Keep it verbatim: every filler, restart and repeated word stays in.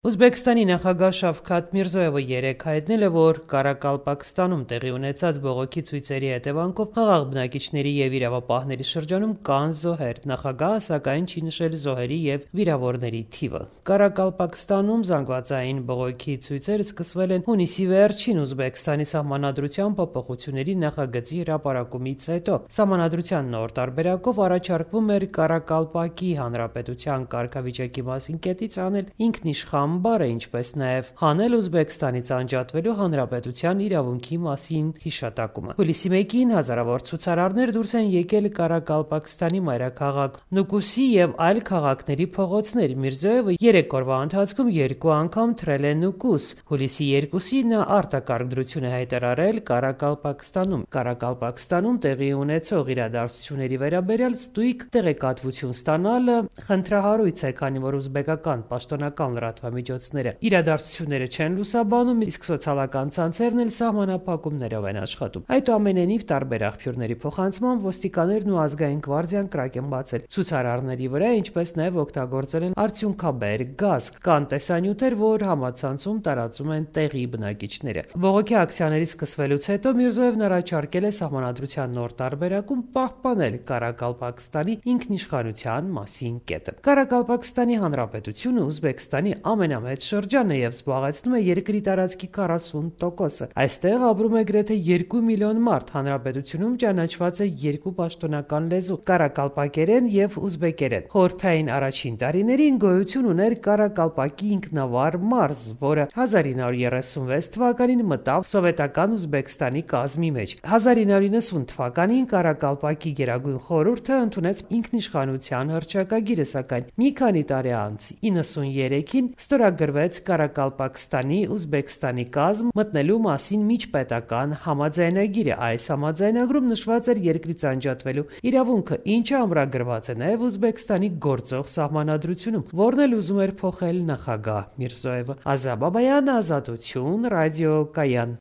Ուզբեկստանի նախագահ Շավքաթ Միրզոևը երեկ հայտնել է, որ Կարակալպակստանում տեղի ունեցած բողոքի ցույցերի հետևանքով խաղաղ բնակիչների և իրավապահների շրջանում կան զոհեր։ Նախագահը սակայն չի նշել զոհերի և վիրավորների թիվը։ Կարակալպակստանում զանգվածային բողոքի ցույցերը սկսվել են հունիսի վերջին Ուզբեկստանի սահմանադրության փոփոխությունների նախագծի հրապարակումից հետո։ Սահմանադրության նոր տարբերակով առաջարկվում էր Կարակալպակի հանրապետության կարգավիճակի մասին կետից անել ինքնիշխան բառը, ինչպես նաև հանել Ուզբեկստանից անջատվելու հանրապետության իրավունքի մասին հիշատակումը։ Հուլիսի մեկին հազարավոր ցուցարարներ դուրս են եկել Կարակալպակստանի մայրաքաղաք Նուկուսի և այլ քաղաքների փողոցներ։ Միրզոևը երեք օրվա ընթացքում երկու անգամ թռել է Նուկուս։ Հուլիսի երկուսին նա արտակարգ դրություն է հայտարարել Կարակալպակստանում։ Կարակալպակստանում տեղի ունեցող իրադարձությունների վերաբերյալ ստույգ տեղեկատվություն ստանալը խնդրահարույց է, քանի որ ուզբեկական պաշտոնական լրատվամիջոցները իրադարձությունները չեն լուսաբանում, իսկ սոցիալական ցանցերն էլ սահմանափակումներով են աշխատում։ Այդուամենայնիվ, տարբեր աղբյուրների փոխանցմամբ ոստիկաններն ու ազգային գվարդիան կրակ են բացել ցուցարարների վրա, ինչպես նաև օգտագործել են արդյունքաբեր գազ։ Կան տեսանյութեր, որ համացանցում տարածում են տեղի բնակիչները։ Բողոքի ակցիաների սկսվելուց հետո Միրզոևն առաջարկել է սահմանադրության նոր տարբերակում պահպանել Կարակալպակստանի ինքնիշխանության մասին կետը։ Կարակալպակստանի հանրապետությունը Ուզբեկստանի ամենամեծ շրջանն է և զբաղեցնում է երկրի տարածքի քառասուն տոկոսը։ Այստեղ ապրում է գրեթե երկու միլիոն մարդ։ Հանրապետությունում ճանաչված է երկու պաշտոնական լեզու՝ կարակալպակերեն և ուզբեկերեն։ Խորհրդային առաջին տարիներին գոյություն ուներ Կարակալպակի ինքնավար մարզ, որը հազար ինը հարյուր երեսունվեց թվականին մտավ սովետական Ուզբեկստանի կազմի մեջ։ հազար ինը հարյուր նվաթ թվականին Կարակալպակի գերագույն խորհուրդը ընդունեց ինքնիշխանության հռչակագիրը, սակայն մի քանի տարի անց իննսուններեքին ստորագրվեց Կարակալպակստանի Ուզբեկստանի կազմ մտնելու մասին միջպետական համաձայնագիրը։ Այս համաձայնագրում նշված էր երկրից անջատվելու իրավունքը, ինչը ամրագրված է նաև Ուզբեկստանի գործող սահմանադրությունում, որն էլ ուզում էր փոխել նախագահ Միրզոևը։ Ազա Բաբայան, Ազատություն, ռադիոկայան։